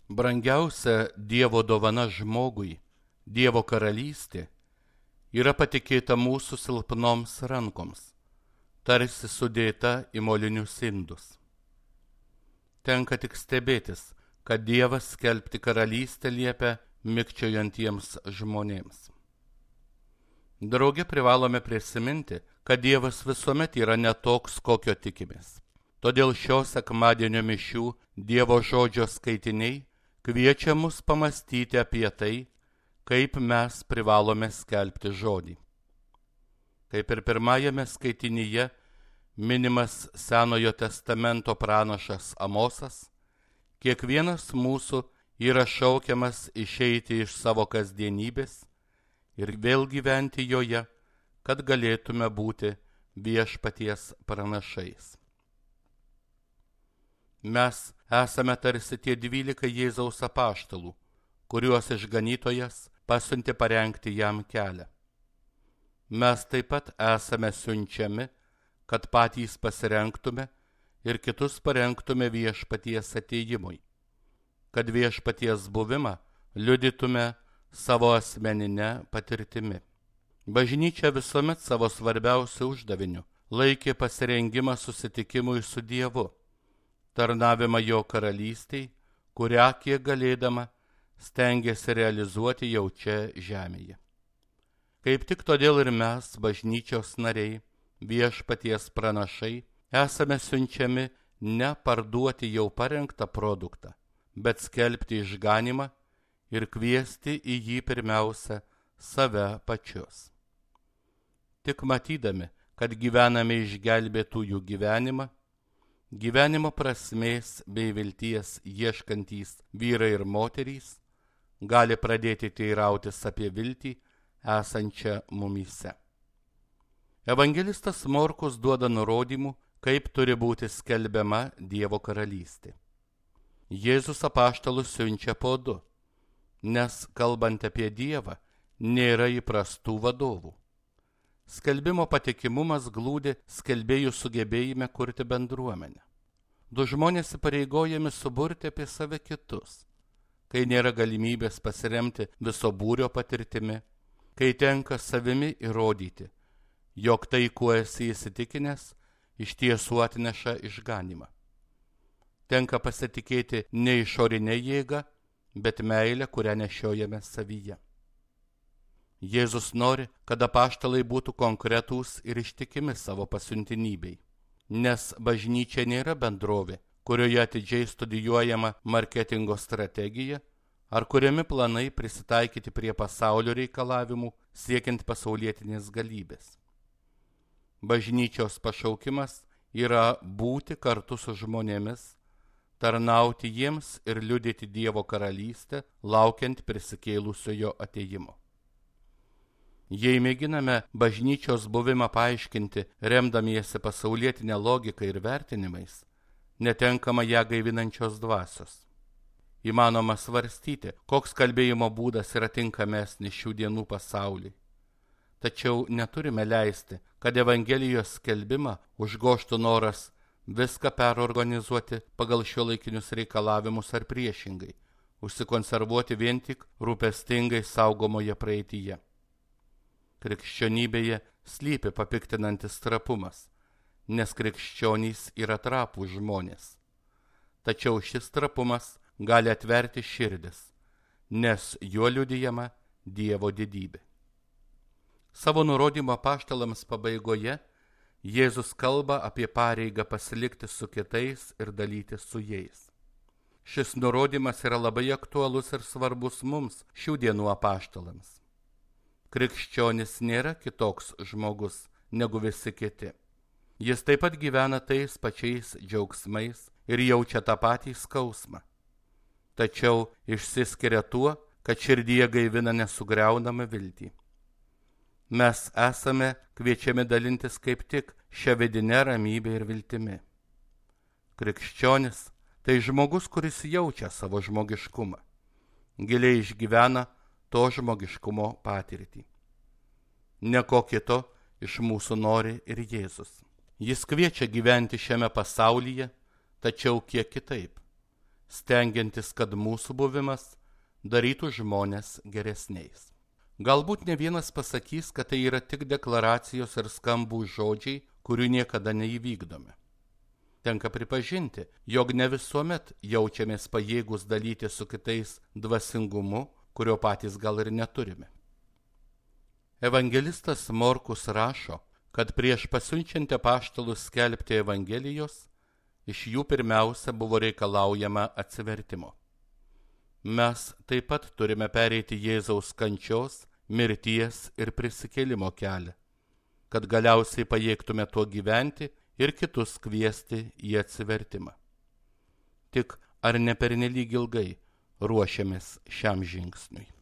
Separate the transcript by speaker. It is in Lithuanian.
Speaker 1: Brangiausia Dievo dovana žmogui, Dievo karalystė, yra patikėta mūsų silpnoms rankoms, tarsi sudėta į molinius indus. Tenka tik stebėtis, kad Dievas skelbti karalystę liepia mikčiojantiems žmonėms. Drauge privalome prisiminti, kad Dievas visuomet yra netoks, kokio tikimės. Todėl šio sekmadienio mišių Dievo žodžio skaitiniai kviečia mus pamastyti apie tai, kaip mes privalome skelbti žodį. Kaip ir pirmajame skaitinyje minimas Senojo testamento pranašas Amosas, kiekvienas mūsų yra šaukiamas išeiti iš savo kasdienybės ir vėl gyventi joje, kad galėtume būti viešpaties pranašais. Mes esame tarsi tie 12 Jėzaus apaštalų, kuriuos išganytojas pasiuntė parengti jam kelią. Mes taip pat esame siunčiami, kad patys pasirengtume ir kitus parengtume viešpaties atėjimui, kad viešpaties buvimą liudytume savo asmeninę patirtimi. Bažnyčia visuomet savo svarbiausiu uždaviniu laikė pasirengimą susitikimui su Dievu, tarnavimą jo karalystiai, kurią kiek galėdama stengiasi realizuoti jau čia žemėje. Kaip tik todėl ir mes, bažnyčios nariai, viešpaties pranašai, esame siunčiami ne parduoti jau parengtą produktą, bet skelbti išganymą ir kviesti į jį pirmiausia save pačius. Tik matydami, kad gyvename išgelbėtųjų gyvenimą, gyvenimo prasmės bei vilties ieškantys vyrai ir moterys gali pradėti teirautis apie viltį esančią mumyse. Evangelistas Morkus duoda nurodymų, kaip turi būti skelbiama Dievo karalystė. Jėzus apaštalus siunčia po 2, nes kalbant apie Dievą nėra įprastų vadovų. Skelbimo patikimumas glūdi skelbėjų sugebėjime kurti bendruomenę. 2 žmonės įpareigojami suburti apie save kitus, kai nėra galimybės pasiremti viso būrio patirtimi, kai tenka savimi įrodyti, jog tai, kuo esi įsitikinęs, iš tiesų atneša išganymą. Tenka pasitikėti ne išorinė jėga, bet meilė, kurią nešiojame savyje. Jėzus nori, kad apaštalai būtų konkretūs ir ištikimi savo pasiuntinybei, nes bažnyčia nėra bendrovė, kurioje atidžiai studijuojama marketingo strategija, ar kuriami planai prisitaikyti prie pasaulio reikalavimų siekiant pasaulietinės galybės. Bažnyčios pašaukimas yra būti kartu su žmonėmis, tarnauti jiems ir liudyti Dievo karalystę, laukiant prisikėlusiojo atėjimo. Jei mėginame bažnyčios buvimą paaiškinti, remdamiesi pasaulietinę logiką ir vertinimais, netenkama ją gaivinančios dvasios. Įmanoma svarstyti, koks kalbėjimo būdas yra tinkamesnis šių dienų pasauliui. Tačiau neturime leisti, kad Evangelijos skelbimą užgožtų noras viską perorganizuoti pagal šiuolaikinius reikalavimus ar priešingai, užsikonservuoti vien tik rūpestingai saugomoje praeityje. Krikščionybėje slypi papiktinantis trapumas, nes krikščionys yra trapūs žmonės. Tačiau šis trapumas gali atverti širdis, nes juo liudijama Dievo didybė. Savo nurodymo apaštalams pabaigoje Jėzus kalba apie pareigą pasilikti su kitais ir dalytis su jais. Šis nurodymas yra labai aktualus ir svarbus mums šių dienų apaštalams. Krikščionis nėra kitoks žmogus negu visi kiti. Jis taip pat gyvena tais pačiais džiaugsmais ir jaučia tą patį skausmą. Tačiau išsiskiria tuo, kad širdyje gaivina nesugriaunamą viltį. Mes esame kviečiami dalintis kaip tik šią vidinę ramybę ir viltimi. Krikščionis tai žmogus, kuris jaučia savo žmogiškumą, giliai išgyvena to žmogiškumo patirtį. Nieko kito iš mūsų nori ir Jėzus. Jis kviečia gyventi šiame pasaulyje, tačiau kiek kitaip. stengiantis, kad mūsų buvimas darytų žmonės geresniais. Galbūt ne vienas pasakys, kad tai yra tik deklaracijos ir skambūs žodžiai, kurių niekada neįvykdome. Tenka pripažinti, jog ne visuomet jaučiamės pajėgus dalyti su kitais dvasingumu, kurio patys gal ir neturime. Evangelistas Morkus rašo, kad prieš pasiunčiant apaštalus skelbti Evangelijos, iš jų pirmiausia buvo reikalaujama atsivertimo. Mes taip pat turime pereiti Jėzaus kančios, mirties ir prisikėlimo kelią, kad galiausiai pajėgtume tuo gyventi ir kitus kviesti į atsivertimą. Tik ar ne pernelyg ilgai ruošiamės šiam žingsniui?